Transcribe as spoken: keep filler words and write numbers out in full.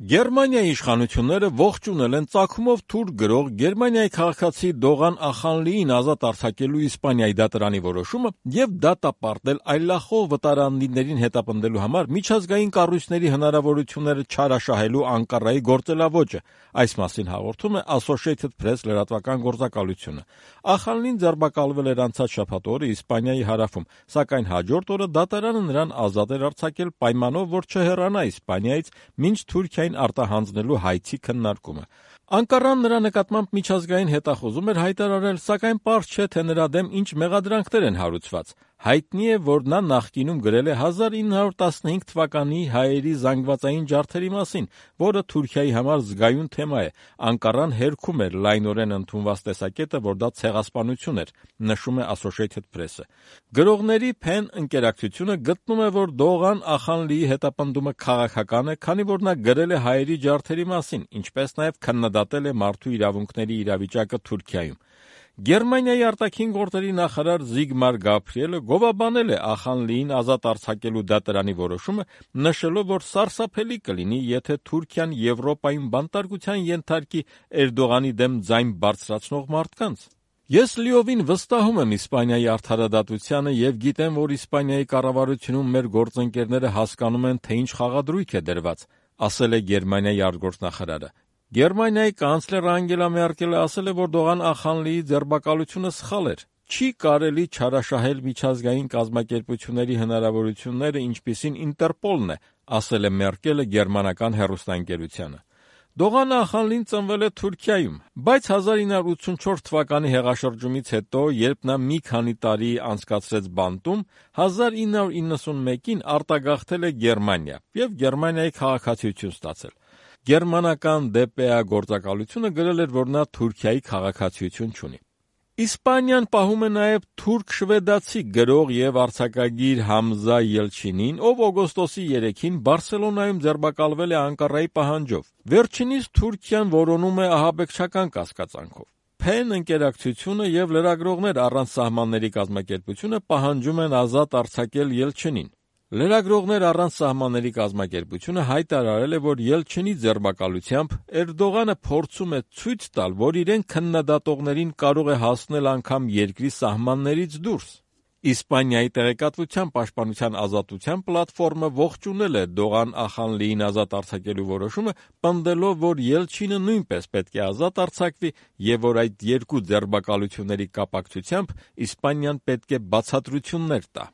Գերմանիայի իշխանությունները ողջունել են ծագումով թուրք գրող Գերմանիայի քաղաքացի Դողան Ախանլիին ազատ արձակելու Իսպանիայի դատարանի որոշումը և դատապարտել այլախոհ վտարանդիներին հետապնդելու համար միջազգային կառույցների հնարավորությունները չարաշահելու Անկարայի գործելաոճը, այս մասին հաղորդում է Associated Press լրատվական գործակալությունը։ Ախանլին ձերբակալվել էր անցած շաբաթ օրը Իսպանիայի հարավում, սակայն հաջորդ օրը դատարանը նրան ազատ էր արձակել պայմանով, որ չհեռանա Իսպանիայից, մինչ Թուրքիային արտահանձնելու հայցի քննարկումը։ Անկարան նրա նկատմամբ միջազգային հետախուզում էր հայտարարել, սակայն պարզ չէ, թե նրա դեմ ինչ մեղադրանքներ են հարուցված։ Հայտնի է, որ նա նախկինում գրել է հազար ինը հարյուր տասնհինգ թվականի հայերի զանգվածային ջարդերի մասին, որը Թուրքիայի համար զգայուն թեմա է։ Անկարան հերքում էր լայնորեն ընդունված տեսակետը, որ դա ցեղասպանություն էր, նշում է Associated Press-ը։ Գրողների Փեն ընկերակցությունը գտնում է, որ Դողան Ախանլիի հետապնդումը քաղաքական է, քանի որ նա գրել է հայերի ջարդերի մասին, ինչպես նաև քննադատել է մարդու իրավունքների իրավիճակը Թուրքիայում։ Գերմանիայի արտաքին գործերի նախարար Զիգմար Գաբրիելը գովաբանել է Ախանլիին ազատ արձակելու դատարանի որոշումը, նշելով, որ սարսափելի կլինի, եթե Թուրքիան Եվրոպայում բանտարկության ենթարկի Էրդողանի դեմ ձայն բարձրացնող մարդկանց։ Ես լիովին վստահում եմ Իսպանիայի արդարադատությանը և գիտեմ, որ Իսպանիայի կառավարությունում մեր գործընկերները հասկանում են, թե ինչ խաղադրույք է դրված, ասել է Գերմանիայի արտգործնախարարը։ Գերմանիայի կանցլեր Անգելա Մերկելը ասել է, որ Դողան Ախանլիի ձերբակալությունը սխալ էր։ Չի կարելի չարաշահել միջազգային կազմակերպությունների հնարավորությունները, ինչպիսին Ինտերպոլն է, ասել է Մերկելը գերմանական հեռուստաընկերությանը։ Դողան Ախանլին ծնվել է Թուրքիայում, բայց հազար ինը հարյուր ութսունչորս թվականի հեղաշրջումից հետո, երբ նա մի քանի տարի անցկացրեց բանտում, հազար ինը հարյուր իննսունմեկին արտագաղթել է Գերմանիա և Գերմանիայի քաղաքացիություն ստացել։ Գերմանական դե պե է գործակալությունը գրել էր, որ նա Թուրքիայի քաղաքացիություն չունի։ Իսպանիան պահում է նաև թուրք-շվեդացի գրող և արձակագիր Համզա Ելչինին, ով օգոստոսի երեքին Բարսելոնայում ձերբակալվել է Անկարայի պահանջով։ Վերջինիս Թուրքիան որոնում է ահաբեկչական կասկածանքով։ Փեն ընկերակցությունը և լրագրողներ առանց սահմանների կազմակերպությունը պահանջում են ազատ արձակել Ելչինին։ Լրագրողներ առանց սահմանների կազմակերպությունը հայտարարել է, որ Ելչինի ձերբակալությամբ Էրդողանը փորձում է ցույց տալ, որ իրեն քննադատողներին կարող է հասնել անգամ երկրի սահմաններից դուրս։ Իսպանիայի տեղեկատվության պաշտպանության ազատության պլատֆորմը ողջունել է Դողան Ախանլիին ազատ արձակելու որոշումը, պնդելով, որ Ելչինը նույնպես պետք է ազատ արձակվի և որ այդ երկու ձերբակալությունների կապակցությամբ Իսպանիան պետք է բացատրություններ տա։